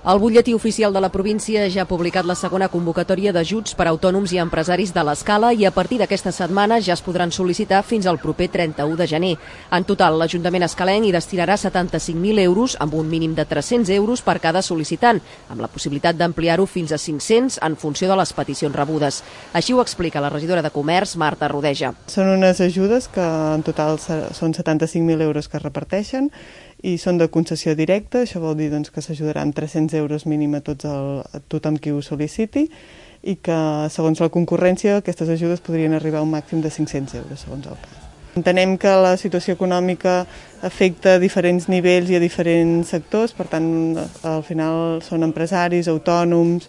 El butlletí oficial de la província ja ha publicat la segona convocatòria d'ajuts per a autònoms i empresaris de l'Escala i a partir d'aquesta setmana ja es podran sol·licitar fins al proper 31 de gener. En total, l'Ajuntament escalenc hi destinarà 75.000 euros amb un mínim de 300 euros per cada sol·licitant, amb la possibilitat d'ampliar-ho fins a 500 en funció de les peticions rebudes. Així ho explica la regidora de Comerç, Marta Rodeja. Són unes ajudes que en total són 75.000 euros que es reparteixen i són de concessió directa, això vol dir que s'ajudarà amb 300 euros mínim a tothom qui ho sol·liciti i que, segons la concurrència, aquestes ajudes podrien arribar a un màxim de 500 euros, segons el cas. Entenem que la situació econòmica afecta a diferents nivells i a diferents sectors, per tant, al final són empresaris, autònoms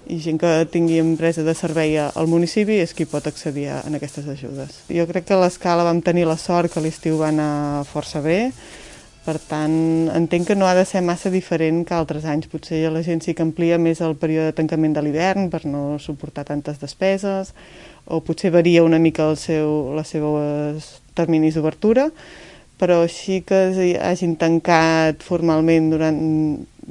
i gent que tingui empresa de servei al municipi és qui pot accedir a aquestes ajudes. Jo crec que a l'Escala vam tenir la sort que l'estiu va anar força bé. Per tant, entenc que no ha de ser massa diferent que altres anys. Potser la gent sí que amplia més el període de tancament de l'hivern per no suportar tantes despeses, o potser varia una mica els seus terminis d'obertura, però així que hagin tancat formalment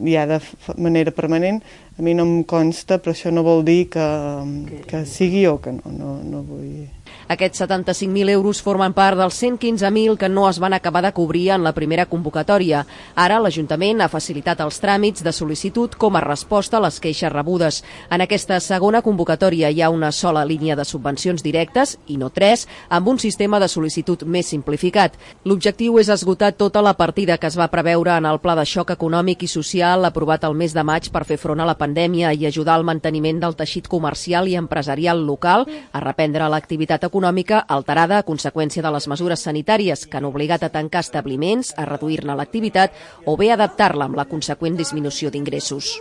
ja de manera permanent, a mi no em consta, però això no vol dir que sigui o que no vull... Aquests 75.000 euros formen part dels 115.000 que no es van acabar de cobrir en la primera convocatòria. Ara l'Ajuntament ha facilitat els tràmits de sol·licitud com a resposta a les queixes rebudes. En aquesta segona convocatòria hi ha una sola línia de subvencions directes, i no 3, amb un sistema de sol·licitud més simplificat. L'objectiu és esgotar tota la partida que es va preveure en el Pla de Xoc Econòmic i Social aprovat el mes de maig per fer front a la pandèmia i ajudar al manteniment del teixit comercial i empresarial local a reprendre l'activitat econòmica alterada a conseqüència de les mesures sanitàries que han obligat a tancar establiments, a reduir-ne l'activitat o bé adaptar-la amb la conseqüent disminució d'ingressos.